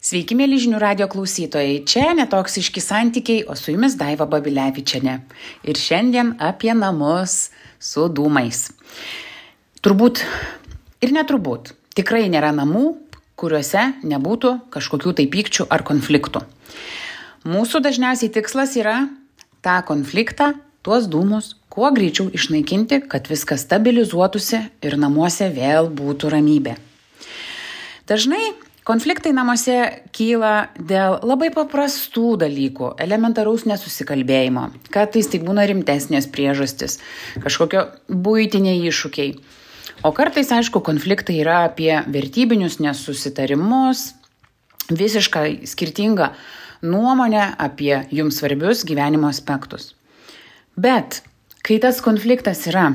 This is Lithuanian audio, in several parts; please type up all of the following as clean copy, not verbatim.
Sveiki, mėly žinių radio klausytojai. Čia netoksiški santykiai, o su jumis Daiva Babilevičienė. Ir šiandien apie namus su dūmais. Turbūt ir neturbūt. Tikrai nėra namų, kuriuose nebūtų kažkokių tai pykčių ar konfliktų. Mūsų dažniausiai tikslas yra tą konfliktą, tuos dūmus, kuo greičiau išnaikinti, kad viskas stabilizuotųsi ir namuose vėl būtų ramybė. Dažnai konfliktai namuose kyla dėl labai paprastų dalykų, elementaraus nesusikalbėjimo. Kartais tai būna rimtesnės priežastis, kažkokio buitiniai iššūkiai. O kartais, aišku, konfliktai yra apie vertybinius nesusitarimus, visiškai skirtingą nuomonę apie jums svarbius gyvenimo aspektus. Bet kai tas konfliktas yra,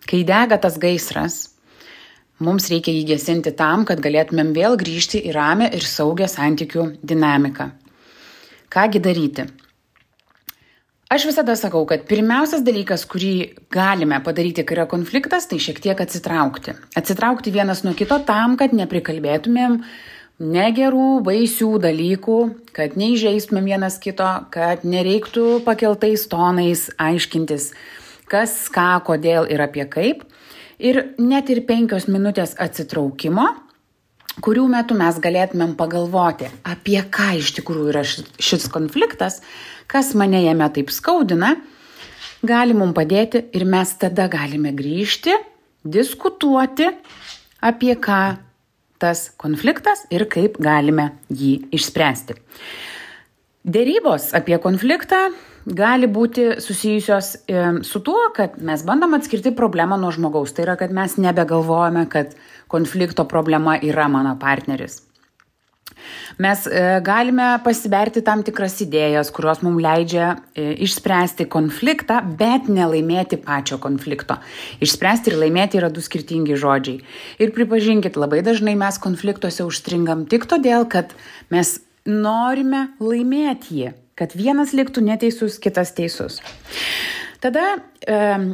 kai dega tas gaisras, mums reikia jį gesinti tam, kad galėtumėm vėl grįžti į ramią ir saugią santykių dinamiką. Kągi daryti? Aš visada sakau, kad pirmiausias dalykas, kurį galime padaryti, kai yra konfliktas, tai šiek tiek atsitraukti. Atsitraukti vienas nuo kito tam, kad neprikalbėtumėm negerų, baisių dalykų, kad neįžeistumėm vienas kito, kad nereiktų pakeltais tonais aiškintis, kas, ką, kodėl ir apie kaip. Ir net ir 5 minutės atsitraukimo, kurių metu mes galėtumėm pagalvoti, apie ką iš tikrųjų yra šis konfliktas, kas mane jame taip skaudina, gali mums padėti ir mes tada galime grįžti, diskutuoti, apie ką tas konfliktas ir kaip galime jį išspręsti. Derybos apie konfliktą gali būti susijusios su tuo, kad mes bandom atskirti problemą nuo žmogaus. Tai yra, kad mes nebegalvojame, kad konflikto problema yra mano partneris. Mes galime pasiberti tam tikras idėjas, kurios mums leidžia išspręsti konfliktą, bet nelaimėti pačio konflikto. Išspręsti ir laimėti yra 2 skirtingi žodžiai. Ir pripažinkit, labai dažnai mes konfliktuose užstringam tik todėl, kad mes norime laimėti jį, kad vienas liktų neteisus, kitas teisus. Tada,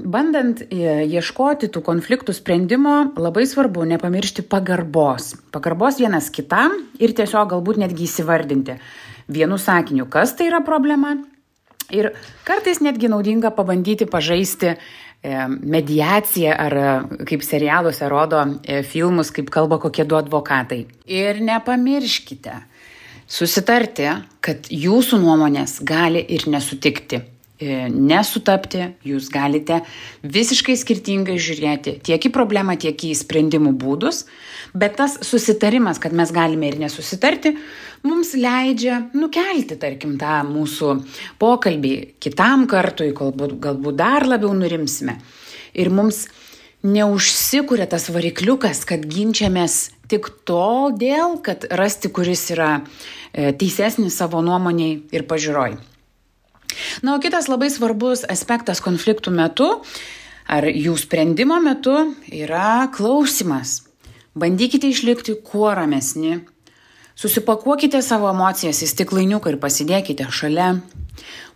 bandant ieškoti tų konfliktų sprendimo, labai svarbu nepamiršti pagarbos. Pagarbos vienas kitam ir tiesiog galbūt netgi įsivardinti vienu sakiniu, kas tai yra problema. Ir kartais netgi naudinga pabandyti pažaisti mediaciją ar kaip serialuose rodo filmus, kaip kalba kokie 2 advokatai. Ir nepamirškite susitarti, kad jūsų nuomonės gali ir nesutikti, nesutapti, jūs galite visiškai skirtingai žiūrėti tiek į problemą, tiek į sprendimų būdus, bet tas susitarimas, kad mes galime ir nesusitarti, mums leidžia nukelti, tarkim, tą mūsų pokalbį kitam kartui, galbūt dar labiau nurimsime. Ir mums neužsikuria tas varikliukas, kad ginčiamės tik todėl, kad rasti, kuris yra teisesnis savo nuomoniai ir pažiūroj. Na, o kitas labai svarbus aspektas konfliktų metu ar jų sprendimo metu yra klausimas. Bandykite išlikti kuo ramesni. Susipakuokite savo emocijas į stiklainiuką ir pasidėkite šalia.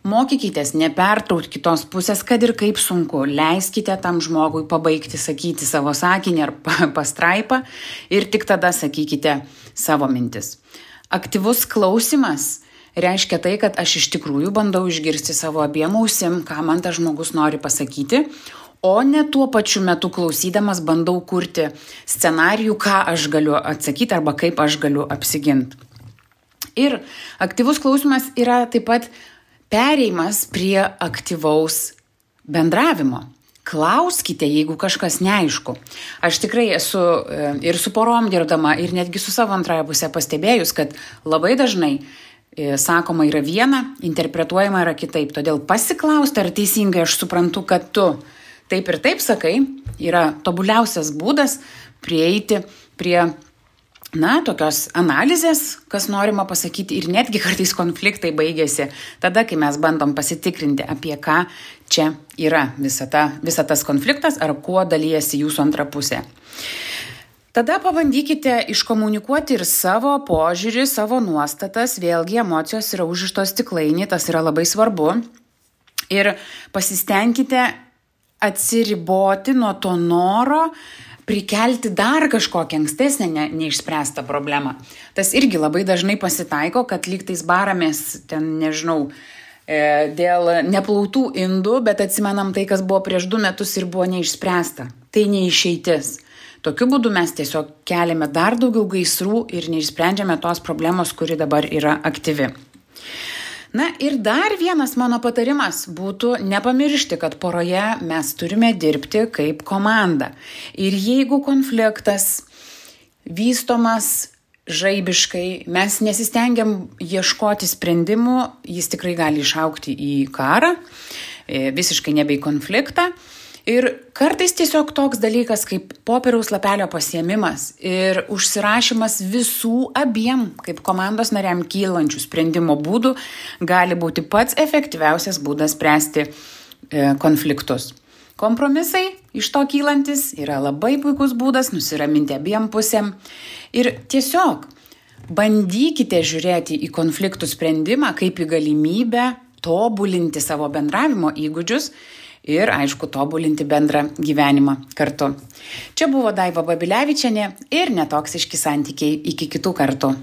Mokykitės nepertraukti kitos pusės, kad ir kaip sunku. Leiskite tam žmogui pabaigti sakyti savo sakinį ar pastraipą ir tik tada sakykite savo mintis. Aktyvus klausimas reiškia tai, kad aš iš tikrųjų bandau išgirsti savo abiem ausim, ką man tas žmogus nori pasakyti, o ne tuo pačiu metu klausydamas bandau kurti scenarijų, ką aš galiu atsakyti arba kaip aš galiu apsiginti. Ir aktyvus klausimas yra taip pat perėjimas prie aktyvaus bendravimo. Klauskite, jeigu kažkas neaišku. Aš tikrai esu ir su porom dirbdama, ir netgi su savo antrąją pusę pastebėjus, kad labai dažnai sakoma yra viena, interpretuojama yra kitaip. Todėl pasiklausti, ar teisingai aš suprantu, kad tu taip ir taip sakai, yra tobuliausias būdas prieiti prie tokios analizės, kas norima pasakyti, ir netgi kartais konfliktai baigėsi tada, kai mes bandom pasitikrinti, apie ką čia yra visa tas konfliktas ar kuo dalyjasi jūsų antra pusė. Tada pabandykite iškomunikuoti ir savo požiūrį, savo nuostatas, vėlgi emocijos yra užrištos stiklainį, tas yra labai svarbu. Ir pasistengkite atsiriboti nuo to noro prikelti dar kažkokią ankstesnę neišspręstą problemą. Tas irgi labai dažnai pasitaiko, kad lygtais baramės ten, nežinau, dėl neplautų indų, bet atsimenam tai, kas buvo prieš 2 metus ir buvo neišspręsta. Tai neišeitis. Tokiu būdu mes tiesiog keliame dar daugiau gaisrų ir neišsprendžiame tos problemos, kuri dabar yra aktyvi. Na ir dar vienas mano patarimas būtų nepamiršti, kad poroje mes turime dirbti kaip komanda. Ir jeigu konfliktas vystomas žaibiškai, mes nesistengiam ieškoti sprendimų, jis tikrai gali išaugti į karą, visiškai nebe į konfliktą. Ir kartais tiesiog toks dalykas kaip popieriaus lapelio pasiėmimas ir užsirašymas visų abiem kaip komandos nariam kylančių sprendimo būdų gali būti pats efektyviausias būdas spręsti konfliktus. Kompromisai iš to kylantis yra labai puikus būdas nusiraminti abiem pusėm ir tiesiog bandykite žiūrėti į konfliktų sprendimą kaip į galimybę tobulinti savo bendravimo įgūdžius ir, aišku, tobulinti bendrą gyvenimą kartu. Čia buvo Daiva Babilevičienė ir Netoksiški santykiai. Iki kitų kartų.